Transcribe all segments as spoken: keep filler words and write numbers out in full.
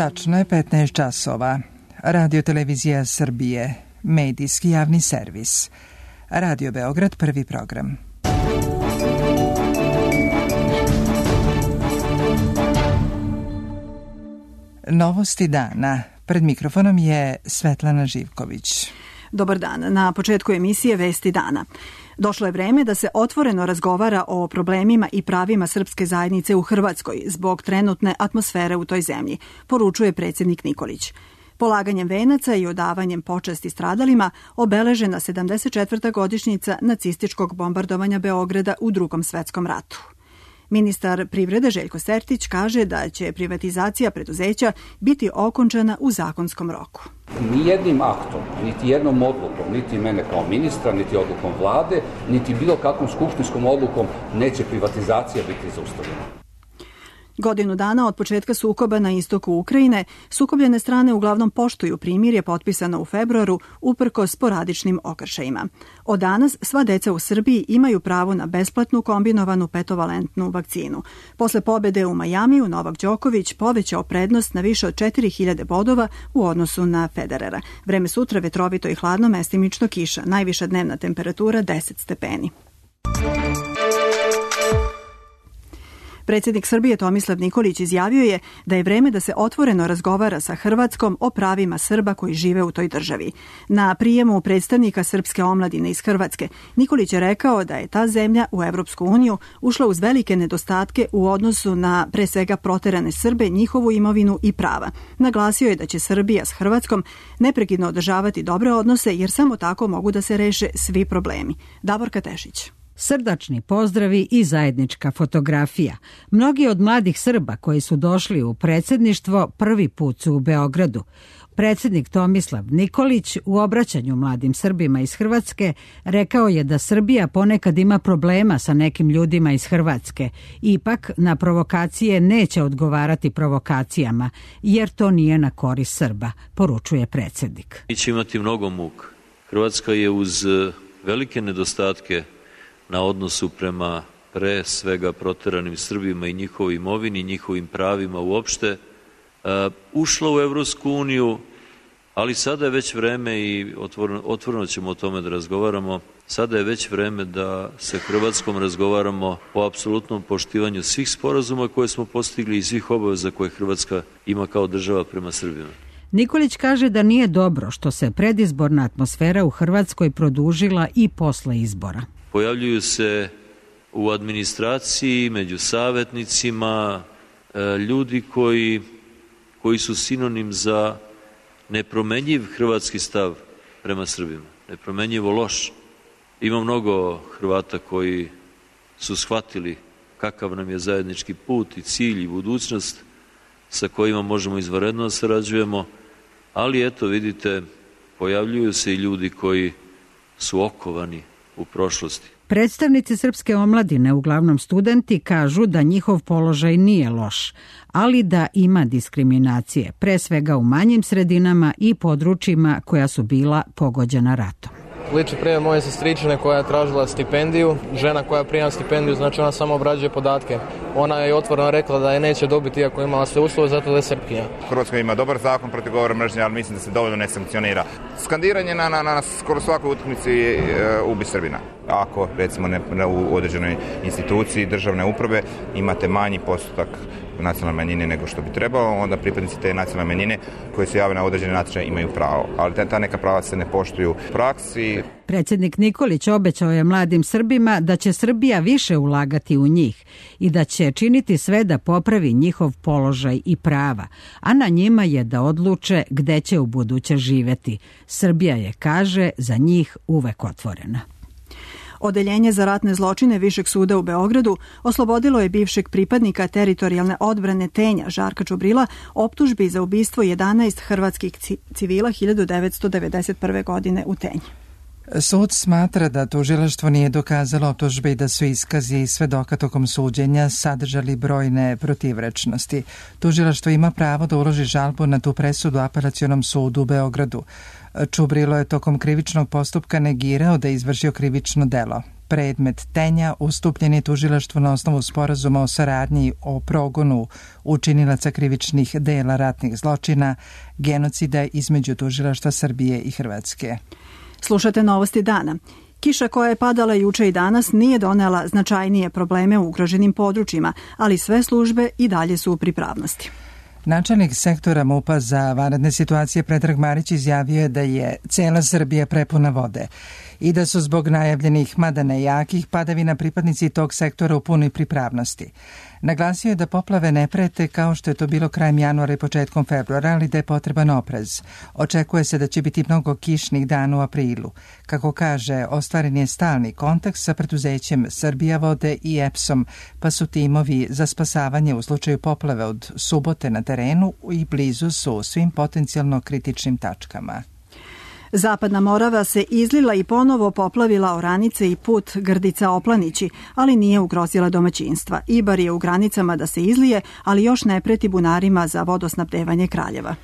Tačno je petnaest časova. Radio Televizija Srbije, medijski javni servis. Radio Beograd, prvi program. Novosti dana. Pred mikrofonom je Svetlana Živković. Dobar dan. Na početku emisije Vesti dana. Došlo je vreme da se otvoreno razgovara o problemima i pravima srpske zajednice u Hrvatskoj zbog trenutne atmosfere u toj zemlji, poručuje predsjednik Nikolić. Polaganjem venaca i odavanjem počasti stradalima obeležena sedamdeset četvrta godišnjica nacističkog bombardovanja Beograda u Drugom svetskom ratu. Ministar privrede Željko Sertić kaže da će privatizacija preduzeća biti okončana u zakonskom roku. Ni jednim aktom, niti jednom odlukom, niti mene kao ministra, niti odlukom vlade, niti bilo kakvom skupštinskom odlukom neće privatizacija biti zaustavljena. Godinu dana od početka sukoba na istoku Ukrajine, sukobljene strane uglavnom poštuju primirje potpisano u februaru uprkos sporadičnim okršajima. Od danas sva deca u Srbiji imaju pravo na besplatnu kombinovanu petovalentnu vakcinu. Posle pobede u Majamiju, Novak Đoković povećao prednost na više od četiri hiljade bodova u odnosu na Federera. Vreme sutra vetrovito i hladno, mestimično kiša, najviša dnevna temperatura deset stepeni. Predsjednik Srbije Tomislav Nikolić izjavio je da je vreme da se otvoreno razgovara sa Hrvatskom o pravima Srba koji žive u toj državi. Na prijemu predstavnika srpske omladine iz Hrvatske, Nikolić je rekao da je ta zemlja u Evropsku uniju ušla uz velike nedostatke u odnosu na pre svega proterane Srbe, njihovu imovinu i prava. Naglasio je da će Srbija s Hrvatskom neprekidno održavati dobre odnose jer samo tako mogu da se reše svi problemi. Davorka Tešić. Srdačni pozdravi i zajednička fotografija. Mnogi od mladih Srba koji su došli u predsjedništvo prvi put su u Beogradu. Predsjednik Tomislav Nikolić u obraćanju mladim Srbima iz Hrvatske rekao je da Srbija ponekad ima problema sa nekim ljudima iz Hrvatske. Ipak na provokacije neće odgovarati provokacijama, jer to nije na korist Srba, poručuje predsjednik. Mi će imati mnogo muka. Hrvatska je uz velike nedostatke na odnosu prema pre svega proteranim Srbima i njihovoj imovini, njihovim pravima uopšte, uh, ušla u Evropsku uniju, ali sada je već vreme i otvoreno, otvoreno ćemo o tome da razgovaramo, sada je već vreme da sa Hrvatskom razgovaramo o apsolutnom poštivanju svih sporazuma koje smo postigli i svih obaveza koje Hrvatska ima kao država prema Srbima. Nikolić kaže da nije dobro što se predizborna atmosfera u Hrvatskoj produžila i posle izbora. Pojavljuju se u administraciji, među savjetnicima, ljudi koji, koji su sinonim za nepromenjiv hrvatski stav prema Srbima, nepromenjivo loš. Ima mnogo Hrvata koji su shvatili kakav nam je zajednički put i cilj i budućnost sa kojima možemo izvanredno sarađujemo, ali eto vidite, pojavljuju se i ljudi koji su okovani u prošlosti. Predstavnici srpske omladine, uglavnom studenti, kažu da njihov položaj nije loš, ali da ima diskriminacije, pre svega u manjim sredinama i područjima koja su bila pogođena ratom. Liči primjer moje sestričine koja je tražila stipendiju. Žena koja prima stipendiju, znači ona samo obrađuje podatke. Ona je otvoreno rekla da je neće dobiti iako je imala sve uslove, zato da je Srpkinja. Hrvatska ima dobar zakon protiv govora mržnje, ali mislim da se dovoljno ne sankcionira. Skandiranje na, na, na skoro svakoj utakmici e, ubi Srbina. Ako, recimo, ne, u određenoj instituciji državne uprave imate manji postotak nacionalne manjine nego što bi trebalo, onda pripadnici te nacionalne manjine koji se jave na određene natječaje imaju pravo. Ali ta neka prava se ne poštuju u praksi. Predsjednik Nikolić obećao je mladim Srbima da će Srbija više ulagati u njih i da će činiti sve da popravi njihov položaj i prava, a na njima je da odluče gde će u buduće živjeti. Srbija je, kaže, za njih uvek otvorena. Odeljenje za ratne zločine Višeg suda u Beogradu oslobodilo je bivšeg pripadnika teritorijalne odbrane Tenja Žarka Čubrila optužbi za ubistvo jedanaest hrvatskih civila hiljadu devetsto devedeset prve. godine u Tenji. Sud smatra da tužilaštvo nije dokazalo optužbe i da su iskazi i svedoka tokom suđenja sadržali brojne protivrečnosti. Tužilaštvo ima pravo da uloži žalbu na tu presudu Apelacionom sudu u Beogradu. Čubrilo je tokom krivičnog postupka negirao da je izvršio krivično delo. Predmet tenja ustupljen je tužilaštvu na osnovu sporazuma o saradnji o progonu učinilaca krivičnih dela ratnih zločina, genocida između tužilaštva Srbije i Hrvatske. Slušate novosti dana. Kiša koja je padala juče i danas nije donela značajnije probleme u ugroženim područjima, ali sve službe i dalje su u pripravnosti. Načelnik sektora M U P-a za vanredne situacije Predrag Marić izjavio je da je cela Srbija prepuna vode i da su zbog najavljenih, mada ne jakih, padavina pripadnici tog sektora u punoj pripravnosti. Naglasio je da poplave ne prete kao što je to bilo krajem januara i početkom februara, ali da je potreban oprez. Očekuje se da će biti mnogo kišnih dana u aprilu. Kako kaže, ostvaren je stalni kontakt sa preduzećem Srbija vode i E P S-om, pa su timovi za spasavanje u slučaju poplave od subote na terenu i blizu su svim potencijalno kritičnim tačkama. Zapadna Morava se izlila i ponovo poplavila oranice i put Grdica-Oplanići, ali nije ugrozila domaćinstva. Ibar je u granicama da se izlije, ali još ne preti bunarima za vodosnabdevanje Kraljeva.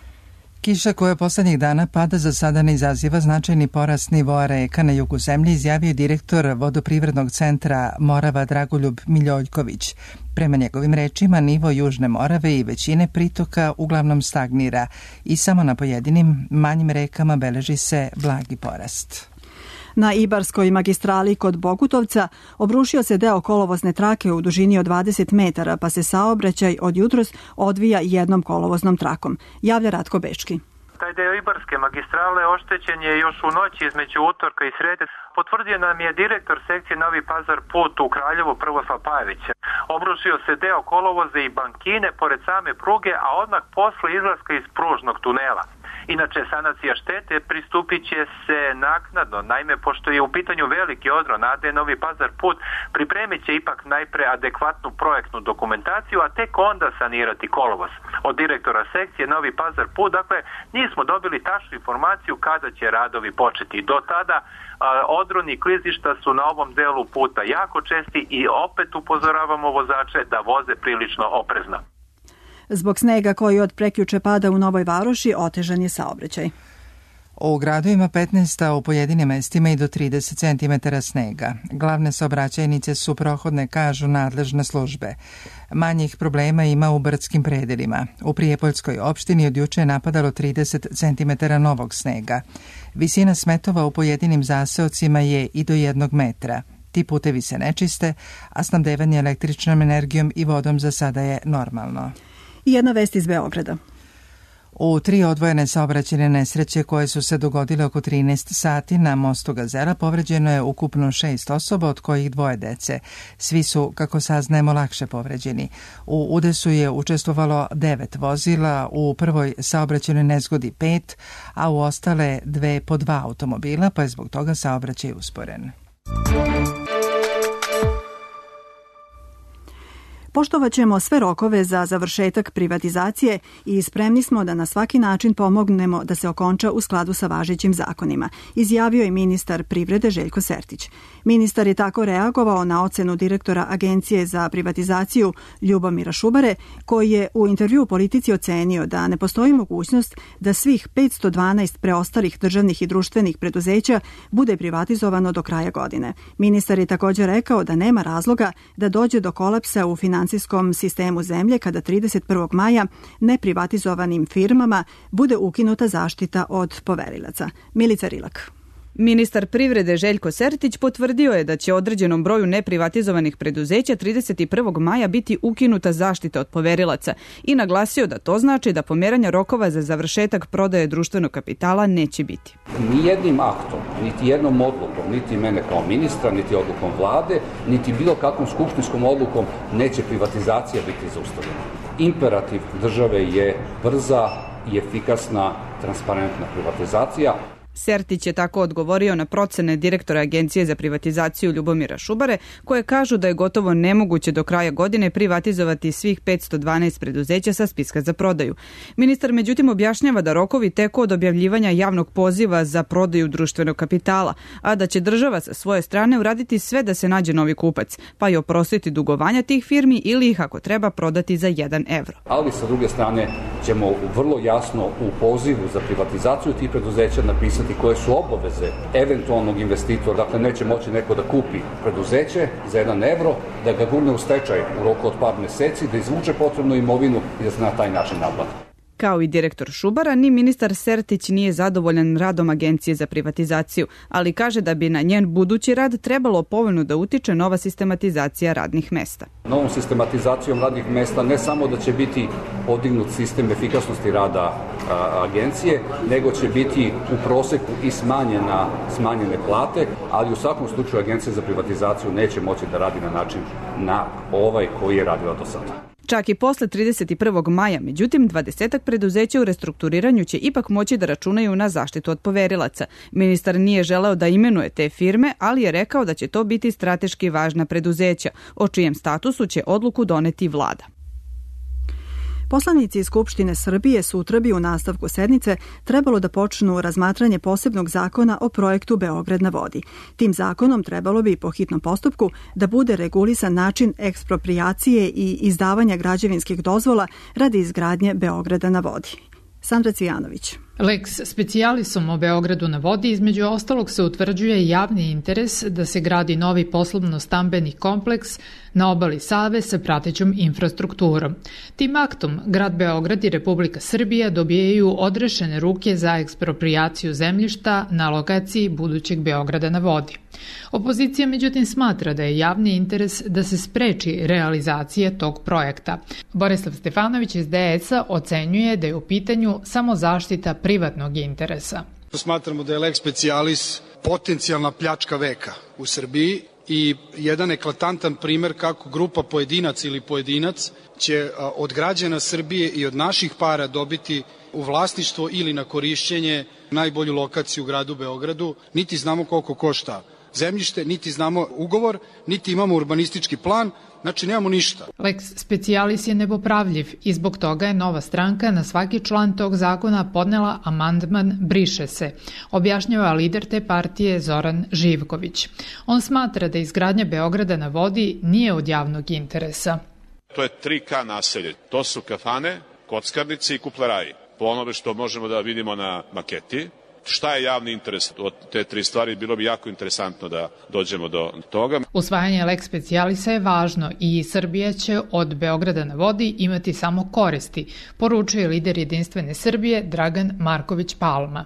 Kiša koja poslednjih dana pada za sada ne izaziva značajni porast nivoa reka na jugu zemlje, izjavio direktor vodoprivrednog centra Morava Dragoljub Miljoljković. Prema njegovim rečima, nivo Južne Morave i većine pritoka uglavnom stagnira i samo na pojedinim manjim rekama beleži se blagi porast. Na Ibarskoj magistrali kod Bogutovca obrušio se deo kolovozne trake u dužini od dvadeset metara, pa se saobraćaj od jutros odvija jednom kolovoznom trakom. Javlja Ratko Bečki. Taj deo Ibarske magistrale oštećen je još u noći između utorka i srede. Potvrdio nam je direktor sekcije Novi Pazar put u Kraljevu Prvoslav Pajević. Obrušio se deo kolovoza i bankine pored same pruge, a odmah posle izlaska iz pružnog tunela. Inače, sanacija štete pristupit će se naknadno. Naime, pošto je u pitanju veliki odron A D Novi Pazar put, pripremit će ipak najpre adekvatnu projektnu dokumentaciju, a tek onda sanirati kolovoz. Od direktora sekcije Novi Pazar put, dakle, nismo dobili tačnu informaciju kada će radovi početi. Do tada a, odroni i klizišta su na ovom delu puta jako česti i opet upozoravamo vozače da voze prilično oprezno. Zbog snega koji od prekjuče pada u Novoj Varoši otežan je saobraćaj. U gradu ima petnaest, a u pojedinim mestima i do trideset centimetara snega. Glavne saobraćajnice su prohodne, kažu nadležne službe. Manjih problema ima u brdskim predelima. U Prijepoljskoj opštini od juče je napadalo trideset centimetara novog snega. Visina smetova u pojedinim zaseocima je i do jednog metra. Ti putevi se ne čiste, a snabdevanje električnom energijom i vodom za sada je normalno. I jedna vest iz Beograda. U tri odvojene saobraćajne nesreće koje su se dogodile oko trinaest sati na mostu Gazela povređeno je ukupno šest osoba, od kojih dvoje dece. Svi su, kako saznajemo, lakše povređeni. U udesu je učestvovalo devet vozila, u prvoj saobraćajnoj nezgodi pet, a u ostale dve po dva automobila, pa je zbog toga saobraćaj usporen. Poštovat ćemo sve rokove za završetak privatizacije i spremni smo da na svaki način pomognemo da se okonča u skladu sa važećim zakonima, izjavio je ministar privrede Željko Sertić. Ministar je tako reagovao na ocenu direktora Agencije za privatizaciju Ljubomira Šubare, koji je u intervju Politici ocenio da ne postoji mogućnost da svih petsto dvanaest preostalih državnih i društvenih preduzeća bude privatizovano do kraja godine. Ministar je također rekao da nema razloga da dođe do kolapsa u financijskom sistemu zemlje kada trideset prvog maja neprivatizovanim firmama bude ukinuta zaštita od poverilaca. Milica Rilak. Ministar privrede Željko Sertić potvrdio je da će određenom broju neprivatizovanih preduzeća trideset prvog maja biti ukinuta zaštita od poverilaca i naglasio da to znači da pomeranja rokova za završetak prodaje društvenog kapitala neće biti. Nijednim aktom, niti jednom odlukom, niti mene kao ministra, niti odlukom vlade, niti bilo kakvom skupštinskom odlukom neće privatizacija biti zaustavljena. Imperativ države je brza i efikasna, transparentna privatizacija. Sertić je tako odgovorio na procene direktora Agencije za privatizaciju Ljubomira Šubare, koje kažu da je gotovo nemoguće do kraja godine privatizovati svih petsto dvanaest preduzeća sa spiska za prodaju. Ministar međutim objašnjava da rokovi teku od objavljivanja javnog poziva za prodaju društvenog kapitala, a da će država sa svoje strane uraditi sve da se nađe novi kupac, pa i oprostiti dugovanja tih firmi ili ih ako treba prodati za jedan evro. Ali sa druge strane ćemo vrlo jasno u pozivu za privatizaciju tih preduzeća napisati koje su obaveze eventualnog investitora. Dakle, neće moći neko da kupi preduzeće za jedan evro, da ga gurne u stečaj u roku od par meseci, da izvuče potrebnu imovinu i da se na taj način naplati. Kao i direktor Šubara, ni ministar Sertić nije zadovoljan radom Agencije za privatizaciju, ali kaže da bi na njen budući rad trebalo povoljno da utiče nova sistematizacija radnih mesta. Novom sistematizacijom radnih mesta ne samo da će biti podignut sistem efikasnosti rada a, agencije, nego će biti u proseku i smanjena, smanjene plate, ali u svakom slučaju Agencija za privatizaciju neće moći da radi na način na ovaj koji je radila do sada. Čak i posle trideset prvog maja, međutim, dvadesetak preduzeća u restrukturiranju će ipak moći da računaju na zaštitu od poverilaca. Ministar nije želeo da imenuje te firme, ali je rekao da će to biti strateški važna preduzeća, o čijem statusu će odluku doneti vlada. Poslanici Skupštine Srbije sutra bi u nastavku sednice trebalo da počnu razmatranje posebnog zakona o projektu Beograd na vodi. Tim zakonom trebalo bi po hitnom postupku da bude regulisan način eksproprijacije i izdavanja građevinskih dozvola radi izgradnje Beograda na vodi. Sandra Cvijanović. Lex specialisom o Beogradu na vodi između ostalog se utvrđuje javni interes da se gradi novi poslovno-stambeni kompleks na obali Save sa pratećom infrastrukturom. Tim aktom grad Beograd i Republika Srbija dobijaju odrešene ruke za eksproprijaciju zemljišta na lokaciji budućeg Beograda na vodi. Opozicija međutim smatra da je javni interes da se spreči realizacija tog projekta. Borislav Stefanović iz D S A ocenjuje da je u pitanju samo zaštita privatnog interesa. Smatramo da je lex specialis potencijalna pljačka veka u Srbiji i jedan eklatantan primer kako grupa pojedinac ili pojedinac će od građana Srbije i od naših para dobiti u vlasništvo ili na korišćenje najbolju lokaciju u gradu Beogradu. Niti znamo koliko košta zemljište, niti znamo ugovor, niti imamo urbanistički plan, znači nemamo ništa. Lex specialis je nepopravljiv i zbog toga je Nova stranka na svaki član tog zakona podnela amandman briše se, objašnjava lider te partije Zoran Živković. On smatra da izgradnja Beograda na vodi nije od javnog interesa. To je tri ka naselje, to su kafane, kockarnice i kupleraji. Po onome što možemo da vidimo na maketi, šta je javni interes od te tri stvari, bilo bi jako interesantno da dođemo do toga. Usvajanje lex specialisa je važno i Srbija će od Beograda na vodi imati samo koristi, poručuje lider Jedinstvene Srbije Dragan Marković Palma.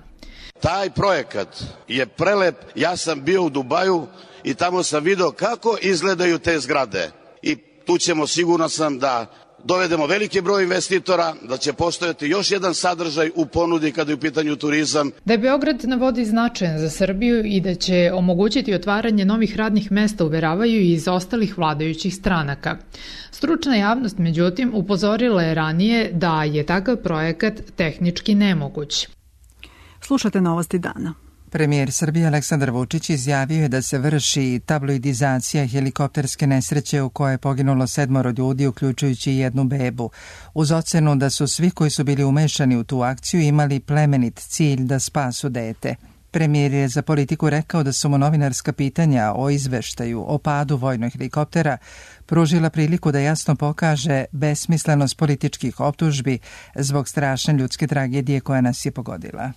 Taj projekat je prelep, ja sam bio u Dubaju i tamo sam video kako izgledaju te zgrade i tu ćemo, sigurno sam, da dovedemo veliki broj investitora, da će postojati još jedan sadržaj u ponudi kada je u pitanju turizam. Da je Beograd na vodi značajan za Srbiju i da će omogućiti otvaranje novih radnih mesta uveravaju i iz ostalih vladajućih stranaka. Stručna javnost, međutim, upozorila je ranije da je takav projekat tehnički nemoguć. Slušate Novosti dana. Premijer Srbije Aleksandar Vučić izjavio je da se vrši tabloidizacija helikopterske nesreće u kojoj je poginulo sedmoro ljudi, uključujući jednu bebu, uz ocenu da su svi koji su bili umešani u tu akciju imali plemenit cilj da spasu dete. Premijer je za Politiku rekao da su mu novinarska pitanja o izveštaju o padu vojnog helikoptera pružila priliku da jasno pokaže besmislenost političkih optužbi zbog strašne ljudske tragedije koja nas je pogodila.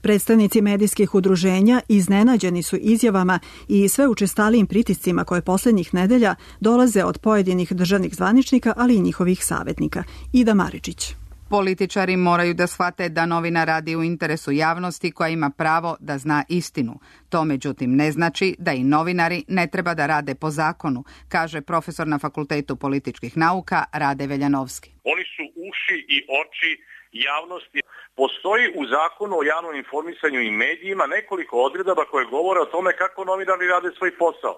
Predstavnici medijskih udruženja iznenađeni su izjavama i sve učestalijim pritiscima koje poslednjih nedelja dolaze od pojedinih državnih zvaničnika, ali i njihovih savjetnika. Ida Maričić. Političari moraju da shvate da novina radi u interesu javnosti koja ima pravo da zna istinu. To međutim ne znači da i novinari ne treba da rade po zakonu, kaže profesor na Fakultetu političkih nauka Rade Veljanovski. Oni su uši i oči javnosti. Postoji u zakonu o javnom informisanju i medijima nekoliko odredaba koje govore o tome kako novinari rade svoj posao.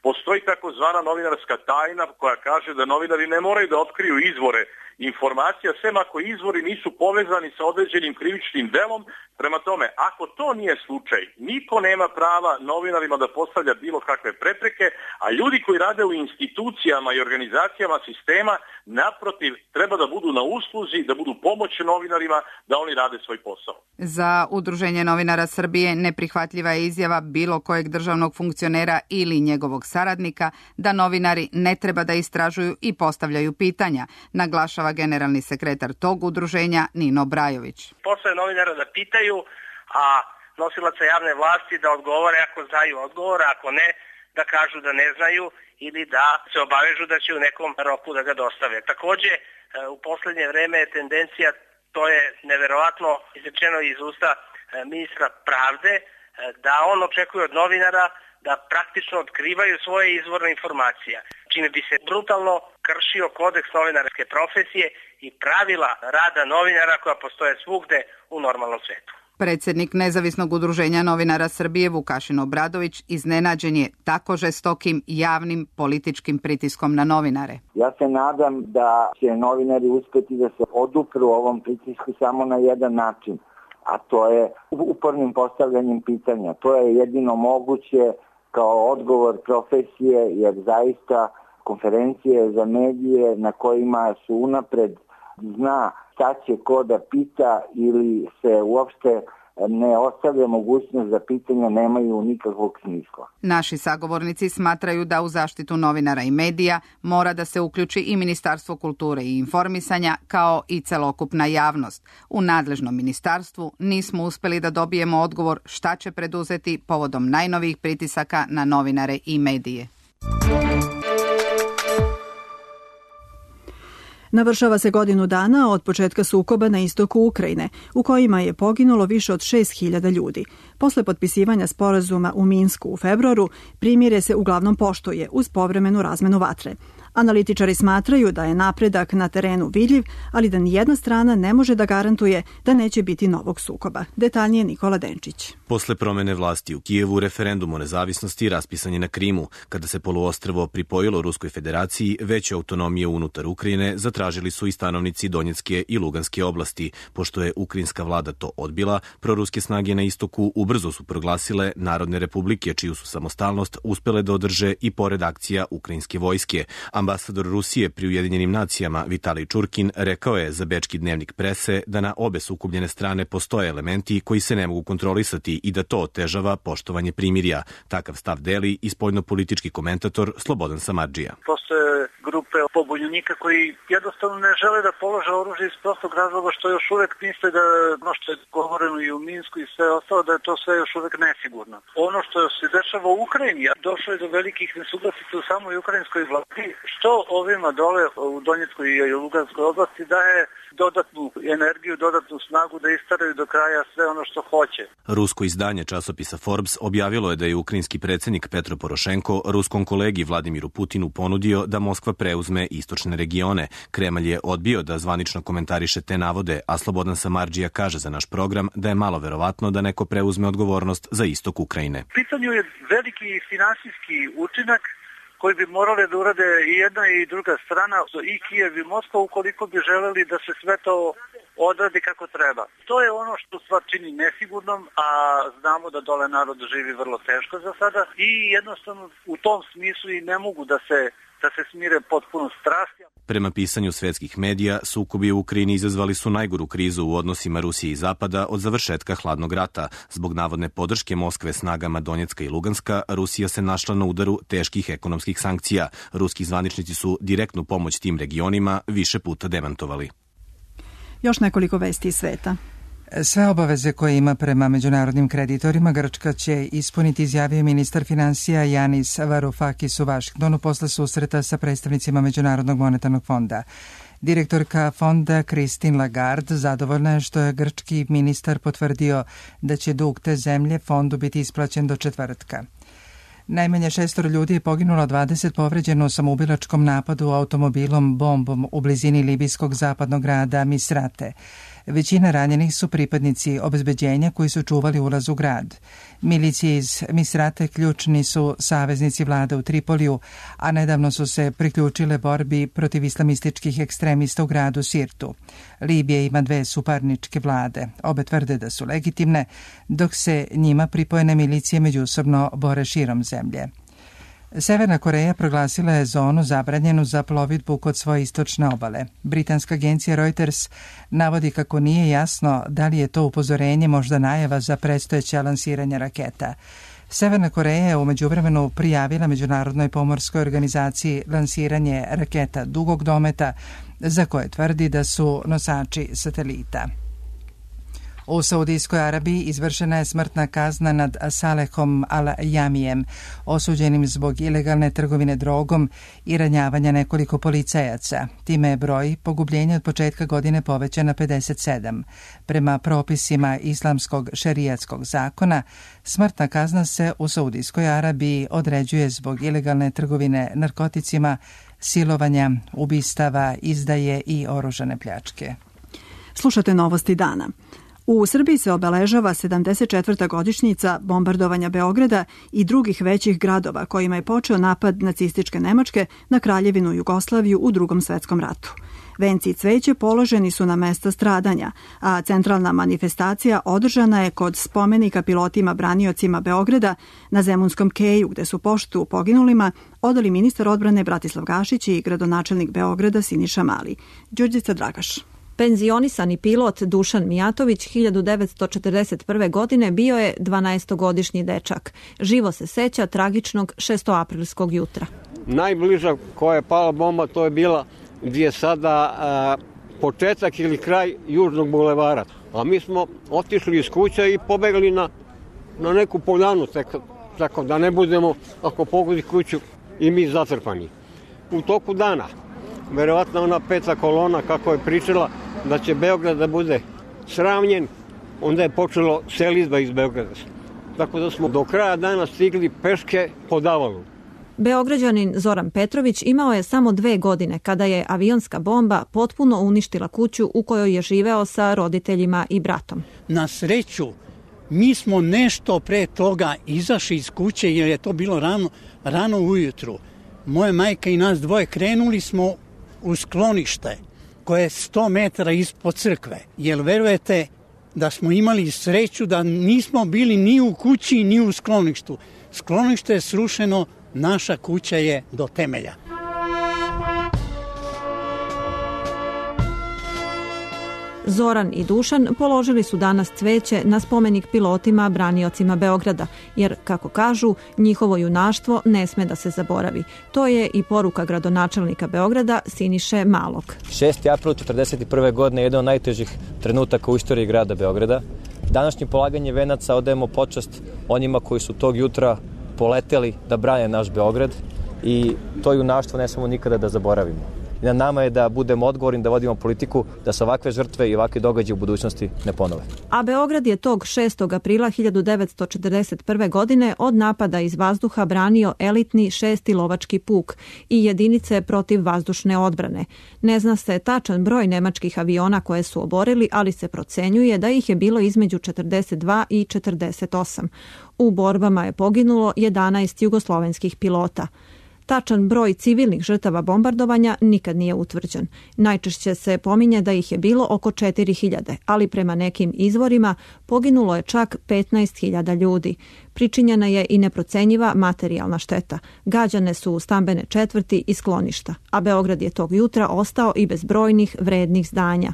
Postoji takozvana novinarska tajna koja kaže da novinari ne moraju da otkriju izvore informacija, sem ako izvori nisu povezani sa određenim krivičnim delom. Prema tome, ako to nije slučaj, niko nema prava novinarima da postavlja bilo kakve prepreke, a ljudi koji rade u institucijama i organizacijama sistema, naprotiv, treba da budu na usluzi, da budu pomoć novinarima novinarima da oni rade svoj posao. Za Udruženje novinara Srbije neprihvatljiva je izjava bilo kojeg državnog funkcionera ili njegovog saradnika da novinari ne treba da istražuju i postavljaju pitanja, naglašava generalni sekretar tog udruženja Nino Brajović. Posao je novinara da pitaju, a nosilaca javne vlasti da odgovore ako znaju odgovor, ako ne, da kažu da ne znaju ili da se obavežu da će u nekom roku da ga dostave. Takođe, u poslednje vreme je tendencija, to je neverovatno izrečeno iz usta ministra pravde, da on očekuje od novinara da praktično otkrivaju svoje izvorne informacije, čime bi se brutalno kršio kodeks novinarske profesije i pravila rada novinara koja postoje svugde u normalnom svetu. Predsjednik Nezavisnog udruženja novinara Srbije Vukašin Obradović iznenađen je tako žestokim javnim političkim pritiskom na novinare. Ja se nadam da će novinari uspjeti da se odupru ovom pritisku samo na jedan način, a to je upornim postavljanjem pitanja. To je jedino moguće kao odgovor profesije, jer zaista konferencije za medije na kojima su unapred zna šta će ko da pita ili se uopšte ne ostavlja mogućnost za pitanja, nemaju nikakvog smisla. Naši sagovornici smatraju da u zaštitu novinara i medija mora da se uključi i Ministarstvo kulture i informisanja kao i celokupna javnost. U nadležnom ministarstvu nismo uspeli da dobijemo odgovor šta će preduzeti povodom najnovijih pritisaka na novinare i medije. Navršava se godinu dana od početka sukoba na istoku Ukrajine, u kojima je poginulo više od šest hiljada ljudi. Posle potpisivanja sporazuma u Minsku u februaru, primirje se uglavnom poštuje uz povremenu razmenu vatre. Analitičari smatraju da je napredak na terenu vidljiv, ali da nijedna strana ne može da garantuje da neće biti novog sukoba. Detaljnije Nikola Denčić. Posle promene vlasti u Kijevu, referendum o nezavisnosti raspisan je na Krimu. Kada se poluostrvo pripojilo Ruskoj federaciji, veće autonomije unutar Ukrajine zatražili su i stanovnici Donjecke i Luganske oblasti. Pošto je ukrajinska vlada to odbila, proruske snage na istoku ubrzo su proglasile Narodne republike, čiju su samostalnost uspele da održe i pored akcija ukrajinske vojske. Ambasador Rusije pri Ujedinjenim nacijama Vitalij Čurkin rekao je za bečki dnevnik prese da na obe sukobljene strane postoje elementi koji se ne mogu kontrolisati i da to otežava poštovanje primirja. Takav stav deli i spoljnopolitički komentator Slobodan Samardžija. Postoje grupe pobunjenika koji jednostavno ne žele da polože oružje iz prostog razloga što još uvek misle da ono što je govoreno i u Minsku i sve ostalo, da je to sve još uvek nesigurno. Ono što se dešava u Ukrajini, došlo je do velikih nesuglasica u samoj ukrajinskoj vladi, što ovima dole u Donjeckoj i Luganskoj oblasti daje dodatnu energiju, dodatnu snagu da istaraju do kraja sve ono što hoće. Rusko izdanje časopisa Forbes objavilo je da je ukrajinski predsjednik Petro Porošenko ruskom kolegi Vladimiru Putinu ponudio da Moskva preuzme istočne regione. Kremalj je odbio da zvanično komentariše te navode, a Slobodan Samardžija kaže za naš program da je malo verovatno da neko preuzme odgovornost za istok Ukrajine. U pitanju je veliki finansijski učinak koji bi morale da urade i jedna i druga strana, i Kijev i Moskva, ukoliko bi želeli da se sve to odradi kako treba. To je ono što stvar čini nesigurnom, a znamo da dole narod živi vrlo teško za sada i jednostavno u tom smislu i ne mogu da se da se smire potpuno strasti. Prema pisanju svetskih medija, sukobi u Ukrajini izazvali su najgoru krizu u odnosima Rusije i Zapada od završetka hladnog rata. Zbog navodne podrške Moskve snagama Donjecka i Luganska, Rusija se našla na udaru teških ekonomskih sankcija. Ruski zvaničnici su direktnu pomoć tim regionima više puta demantovali. Još nekoliko vesti iz sveta. Sve obaveze koje ima prema međunarodnim kreditorima Grčka će ispuniti, izjavio ministar finansija Janis Varoufakis u Vašingtonu posle susreta sa predstavnicima Međunarodnog monetarnog fonda. Direktorka fonda Christine Lagarde zadovoljna je što je grčki ministar potvrdio da će dug te zemlje fondu biti isplaćen do četvrtka. Najmanje šestoro ljudi je poginulo, dvadeset povređeno u samoubilačkom napadu automobilom bombom u blizini libijskog zapadnog grada Misrate. Većina ranjenih su pripadnici obezbeđenja koji su čuvali ulaz u grad. Milicije iz Misrate ključni su saveznici vlade u Tripoliju, a nedavno su se priključile borbi protiv islamističkih ekstremista u gradu Sirtu. Libija ima dve suparničke vlade. Obe tvrde da su legitimne, dok se njima pripojene milicije međusobno bore širom zemlje. Severna Koreja proglasila je zonu zabranjenu za plovidbu kod svoje istočne obale. Britanska agencija Reuters navodi kako nije jasno da li je to upozorenje možda najava za predstojeće lansiranje raketa. Severna Koreja je u međuvremenu prijavila Međunarodnoj pomorskoj organizaciji lansiranje raketa dugog dometa za koje tvrdi da su nosači satelita. U Saudijskoj Arabiji izvršena je smrtna kazna nad Salehom Al-Jamijem, osuđenim zbog ilegalne trgovine drogom i ranjavanja nekoliko policajaca. Time je broj pogubljenja od početka godine povećan na pedeset sedam. Prema propisima islamskog šerijatskog zakona, smrtna kazna se u Saudijskoj Arabiji određuje zbog ilegalne trgovine narkoticima, silovanja, ubistava, izdaje i oružane pljačke. Slušate Novosti dana. U Srbiji se obeležava sedamdeset četvrta godišnjica bombardovanja Beograda i drugih većih gradova kojima je počeo napad nacističke Nemačke na Kraljevinu Jugoslaviju u Drugom svetskom ratu. Venci i cveće položeni su na mesta stradanja, a centralna manifestacija održana je kod spomenika pilotima braniocima Beograda na Zemunskom keju, gde su poštu poginulima odali ministar odbrane Bratislav Gašić i gradonačelnik Beograda Siniša Mali. Đurđica Dragaš. Penzionisani pilot Dušan Mijatović hiljadu devetsto četrdeset prve. godine bio je dvanaestogodišnji dečak. Živo se seća tragičnog šestoaprilskog jutra. Najbliža koja je pala bomba to je bila gdje je sada a, početak ili kraj Južnog bulevara. A mi smo otišli iz kuća i pobegli na, na neku poljanu, tako, tako da ne budemo, ako pogodi kuću, i mi zatrpani. U toku dana, verovatno ona peta kolona, kako je pričala, da će Beograd da bude sravnjen, onda je počelo selidba iz Beograda. Tako da smo do kraja dana stigli peške po davalu. Beograđanin Zoran Petrović imao je samo dve godine kada je avionska bomba potpuno uništila kuću u kojoj je živeo sa roditeljima i bratom. Na sreću, mi smo nešto pre toga izašli iz kuće jer je to bilo rano, rano ujutru. Moja majka i nas dvoje krenuli smo u sklonište koje je sto metara ispod crkve. Jel verujete da smo imali sreću da nismo bili ni u kući ni u skloništu. Sklonište je srušeno, naša kuća je do temelja. Zoran i Dušan položili su danas cveće na spomenik pilotima braniocima Beograda, jer, kako kažu, njihovo junaštvo ne sme da se zaboravi. To je i poruka gradonačelnika Beograda Siniše Malog. šesti april četrdeset prve. godine je jedan od najtežih trenutaka u istoriji grada Beograda. Današnje polaganje venaca odajemo počast onima koji su tog jutra poleteli da brane naš Beograd i to junaštvo ne smemo nikada da zaboravimo. I na nama je da budemo odgovorni, da vodimo politiku, da se ovakve žrtve i ovakve događaje u budućnosti ne ponove. A Beograd je tog šestog aprila hiljadu devetsto četrdeset prve. godine od napada iz vazduha branio elitni šesti lovački puk i jedinice protiv vazdušne odbrane. Ne zna se tačan broj nemačkih aviona koje su oborili, ali se procenjuje da ih je bilo između četrdeset dva i četrdeset osam. U borbama je poginulo jedanaest jugoslovenskih pilota. Tačan broj civilnih žrtava bombardovanja nikad nije utvrđen. Najčešće se pominje da ih je bilo oko četiri hiljade, ali prema nekim izvorima poginulo je čak petnaest hiljada ljudi. Pričinjena je i neprocenjiva materijalna šteta. Gađane su stambene četvrti i skloništa, a Beograd je tog jutra ostao i bez brojnih vrednih zdanja.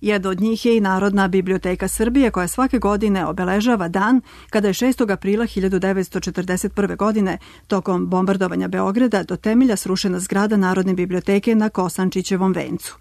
Jedna od njih je i Narodna biblioteka Srbije, koja svake godine obeležava dan kada je šestog aprila hiljadu devetsto četrdeset prve. godine tokom bombardovanja Beograda do temelja srušena zgrada Narodne biblioteke na Kosančićevom vencu.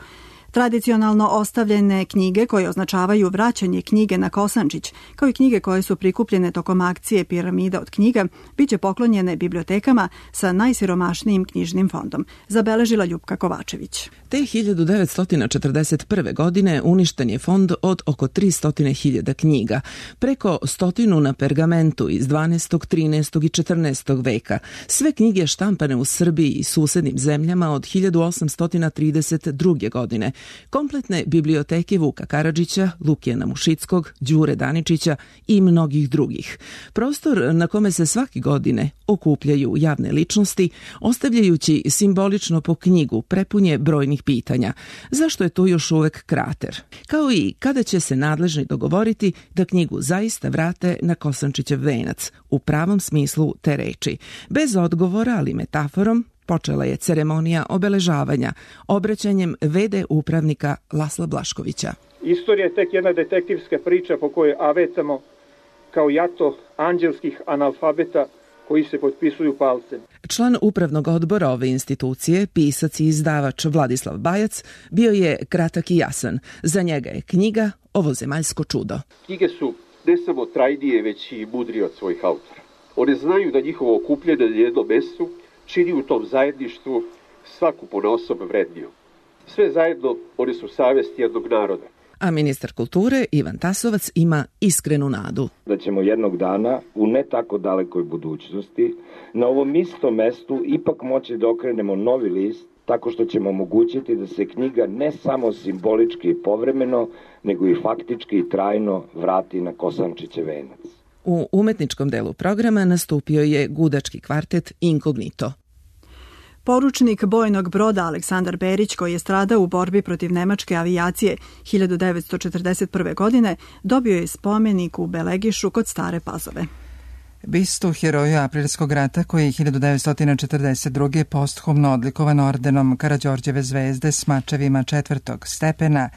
Tradicionalno ostavljene knjige koje označavaju vraćanje knjige na Kosančić, kao i knjige koje su prikupljene tokom akcije Piramida od knjiga, bit će poklonjene bibliotekama sa najsiromašnijim knjižnim fondom, zabeležila Ljupka Kovačević. Te hiljadu devetsto četrdeset prve. godine uništen je fond od oko tristo hiljada knjiga, preko stotinu na pergamentu iz dvanaestog, trinaestog i četrnaestog veka. Sve knjige štampane u Srbiji i susednim zemljama od hiljadu osamsto trideset druge. godine kompletne biblioteke Vuka Karadžića, Lukijana Mušickog, Đure Daničića i mnogih drugih. Prostor na kome se svake godine okupljaju javne ličnosti, ostavljajući simbolično po knjigu prepunje brojnih pitanja. Zašto je to još uvek krater? Kao i kada će se nadležni dogovoriti da knjigu zaista vrate na Kosančićev venac, u pravom smislu te reči. Bez odgovora, ali metaforom, počela je ceremonija obeležavanja obraćanjem ve de upravnika Lasla Blaškovića. Istorija je tek jedna detektivska priča po kojoj avetamo kao jato anđelskih analfabeta koji se potpisuju palcem. Član upravnog odbora ove institucije, pisac i izdavač Vladislav Bajac, bio je kratak i jasan. Za njega je knjiga Ovozemaljsko čudo. Knjige su ne samo trajnije, već i mudrije od svojih autora. One znaju da njihovo okupljanje na jednom mestu čini u tom zajedništvu svaku ponaosob vredniju. Sve zajedno one su savest jednog naroda. A ministar kulture Ivan Tasovac ima iskrenu nadu. Da ćemo jednog dana, u ne tako dalekoj budućnosti, na ovom istom mestu ipak moći da okrenemo novi list, tako što ćemo omogućiti da se knjiga ne samo simbolički i povremeno, nego i faktički i trajno vrati na Kosančićev venac. U umetničkom delu programa nastupio je gudački kvartet Inkognito. Poručnik bojnog broda Aleksandar Berić, koji je stradao u borbi protiv nemačke avijacije hiljadu devetsto četrdeset prve. godine, dobio je spomenik u Belegišu kod Stare Pazove. Bistu heroju Aprilskog rata, koji je hiljadu devetsto četrdeset druge. posthumno odlikovan ordenom Karađorđeve zvezde s mačevima četvrtog stepena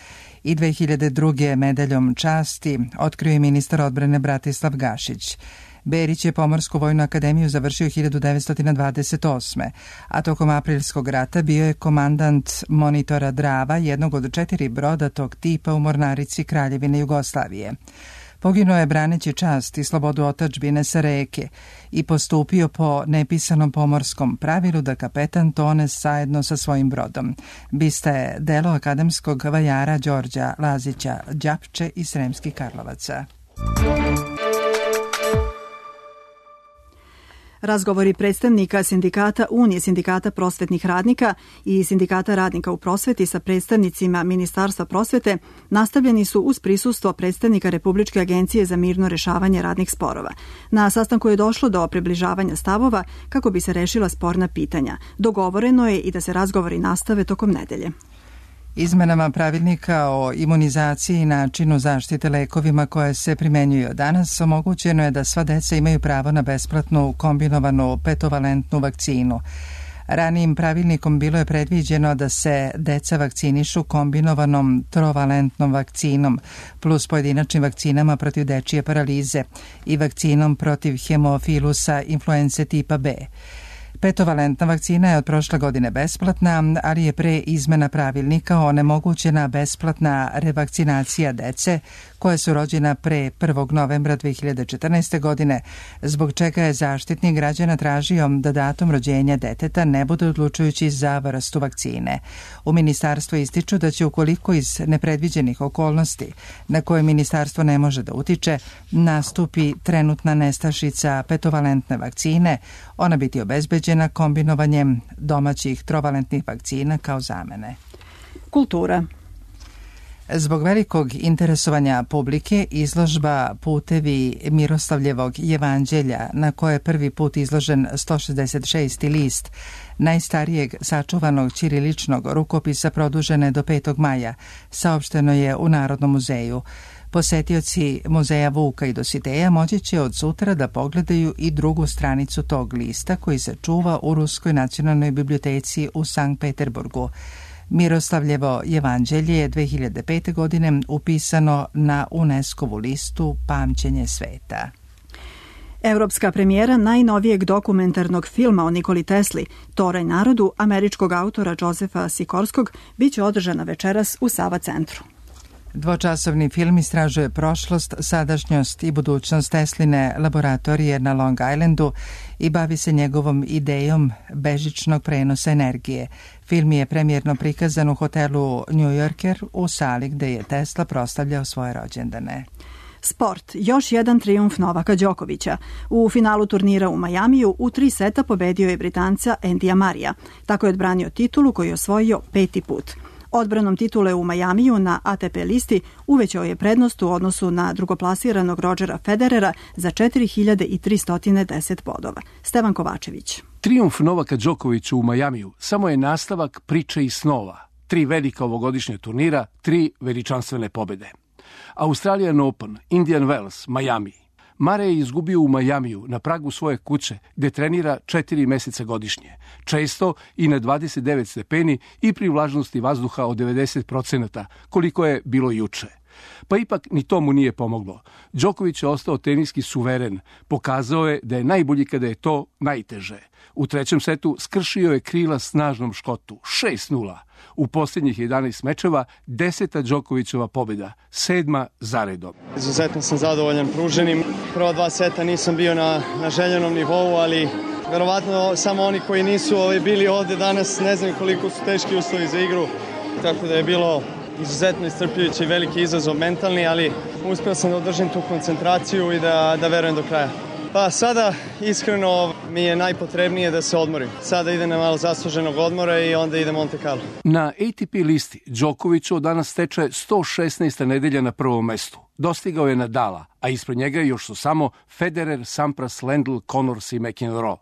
i dve hiljade druge. medaljom časti, otkrio je ministar odbrane Bratislav Gašić. Berić je Pomorsku vojnu akademiju završio hiljadu devetsto dvadeset osme. a tokom Aprilskog rata bio je komandant monitora Drava, jednog od četiri broda tog tipa u mornarici Kraljevine Jugoslavije. Poginuo je braneći čast i slobodu otadžbine sa reke i postupio po nepisanom pomorskom pravilu da kapetan tone zajedno sa svojim brodom. Bista je delo akademskog vajara Đorđa Lazića Đapče iz Sremskih Karlovaca. Razgovori predstavnika sindikata Unije sindikata prosvetnih radnika i sindikata radnika u prosveti sa predstavnicima Ministarstva prosvete nastavljeni su uz prisustvo predstavnika Republičke agencije za mirno rešavanje radnih sporova. Na sastanku je došlo do približavanja stavova kako bi se rešila sporna pitanja. Dogovoreno je i da se razgovori nastave tokom nedelje. Izmenama pravilnika o imunizaciji i načinu zaštite lekovima koje se primenjuju danas omogućeno je da sva deca imaju pravo na besplatnu kombinovanu petovalentnu vakcinu. Ranijim pravilnikom bilo je predviđeno da se deca vakcinišu kombinovanom trovalentnom vakcinom plus pojedinačnim vakcinama protiv dečije paralize i vakcinom protiv hemofilusa influence tipa B. Petovalentna vakcina je od prošle godine besplatna, ali je pre izmena pravilnika onemogućena besplatna revakcinacija dece koja su rođena pre prvog novembra dve hiljade četrnaeste. godine, zbog čega je Zaštitnik građana tražio da datum rođenja deteta ne bude odlučujući za vrstu vakcine. U ministarstvu ističu da će ukoliko iz nepredviđenih okolnosti na koje ministarstvo ne može da utiče, nastupi trenutna nestašica petovalentne vakcine, ona biti obezbeđena kombinovanjem domaćih trovalentnih vakcina kao zamene. Kultura. Zbog velikog interesovanja publike, izložba Putevi Miroslavljevog jevanđelja, na koje je prvi put izložen sto šezdeset šesti list najstarijeg sačuvanog ćiriličnog rukopisa, produžene do petog maja, saopšteno je u Narodnom muzeju. Posetioci muzeja Vuka i Dositeja moći će od sutra da pogledaju i drugu stranicu tog lista koji se čuva u Ruskoj nacionalnoj biblioteci u Sankt Peterburgu. Miroslavljevo jevanđelje je dve hiljade pete. godine upisano na UNESCO-vu listu Pamćenje sveta. Evropska premijera najnovijeg dokumentarnog filma o Nikoli Tesli, Toraj narodu, američkog autora Josefa Sikorskog, biće održana večeras u Sava centru. Dvočasovni film istražuje prošlost, sadašnjost i budućnost Tesline laboratorije na Long Islandu i bavi se njegovom idejom bežičnog prenosa energije. Film je premijerno prikazan u hotelu New Yorker u sali gde je Tesla proslavljao svoje rođendane. Sport. Još jedan trijumf Novaka Đokovića. U finalu turnira u Majamiju u tri seta pobedio je Britanca Endija Marija. Tako je odbranio titulu koju je osvojio peti put. Odbranom titule u Majamiju na A T P listi uvećao je prednost u odnosu na drugoplasiranog Rodgera Federera za četiri hiljade tristo deset bodova. Stevan Kovačević. Trijumf Novaka Đokovića u Majamiju samo je nastavak priče i snova. Tri velika ovogodišnja turnira, tri veličanstvene pobede. Australian Open, Indian Wells, Miami. Mare je izgubio u Majamiju, na pragu svoje kuće, gde trenira četiri meseca godišnje. Često i na dvadeset devet stepeni i pri vlažnosti vazduha od devedeset procenata, koliko je bilo juče. Pa ipak ni tomu nije pomoglo. Đoković je ostao teniski suveren. Pokazao je da je najbolji kada je to najteže. U trećem setu skršio je krila snažnom Škotu. šest nula. U posljednjih jedanaest mečeva deseta Đokovićova pobjeda, sedma zaredom. Izuzetno sam zadovoljan pruženim. Prva dva seta nisam bio na, na željenom nivou, ali verovatno samo oni koji nisu ovaj, bili ovde danas ne znaju koliko su teški uslovi za igru. Tako da je bilo izuzetno iscrpljujući i veliki izazov mentalni, ali uspio sam da održim tu koncentraciju i da, da verujem do kraja. Pa sada, iskreno, mi je najpotrebnije da se odmorim. Sada ide na malo zasluženog odmora i onda ide Monte Carlo. Na A T P listi Đoković od danas steče sto šesnaesta nedelja na prvom mestu. Dostigao je Nadala, a ispred njega još su samo Federer, Sampras, Lendl, Connors i McEnroe.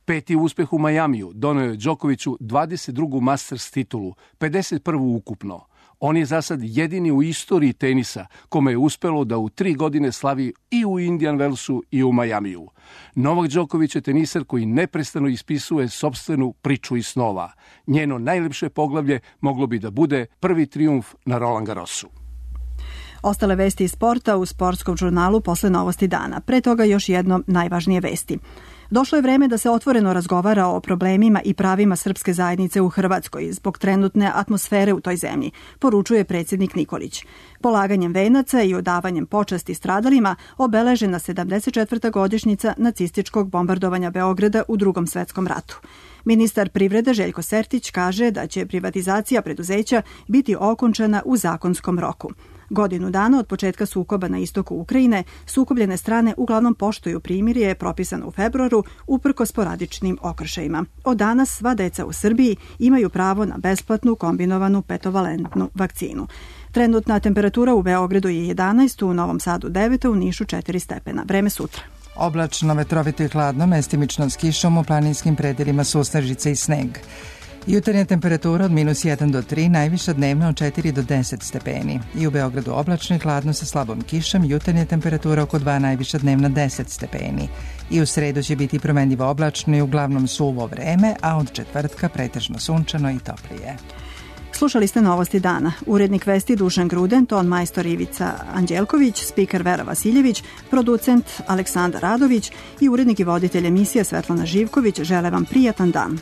Peti uspeh u Majamiju doneo je Đokoviću dvadeset drugu Masters titulu, pedeset prvu ukupno. On je za sad jedini u istoriji tenisa kome je uspelo da u tri godine slavi i u Indian Wellsu i u Majamiju. Novak Đoković je tenisar koji neprestano ispisuje sopstvenu priču i snova. Njeno najlepše poglavlje moglo bi da bude prvi trijumf na Roland Garrosu. Ostale vesti iz sporta u sportskom žurnalu posle novosti dana. Pre toga još jedno najvažnije vesti. Došlo je vreme da se otvoreno razgovara o problemima i pravima srpske zajednice u Hrvatskoj zbog trenutne atmosfere u toj zemlji, poručuje predsjednik Nikolić. Polaganjem venaca i odavanjem počasti stradalima obeležena sedamdeset četvrta godišnjica nacističkog bombardovanja Beograda u Drugom svetskom ratu. Ministar privrede Željko Sertić kaže da će privatizacija preduzeća biti okončana u zakonskom roku. Godinu dana od početka sukoba na istoku Ukrajine, sukobljene strane uglavnom poštuju primirje propisano u februaru uprkos sporadičnim okršajima. Od danas sva deca u Srbiji imaju pravo na besplatnu kombinovanu petovalentnu vakcinu. Trenutna temperatura u Beogradu je jedanaest, u Novom Sadu devet, u Nišu četiri stepena. Vreme sutra. Oblačno, vetrovito i hladno, mestimično s kišom, u planinskim predelima susnežice i sneg. Jutarnja temperatura od minus jedan do tri, najviša dnevna od četiri do deset stepeni. I u Beogradu oblačno i hladno sa slabom kišom, jutarnja temperatura oko dva, najviša dnevna deset stepeni. I u sredu će biti promenljivo oblačno i uglavnom suvo vreme, a od četvrtka pretežno sunčano i toplije. Slušali ste novosti dana. Urednik vesti Dušan Gruden, ton majstor Ivica Anđelković, spiker Vera Vasiljević, producent Aleksandar Radović i urednik i voditelj emisije Svetlana Živković žele vam prijatan dan.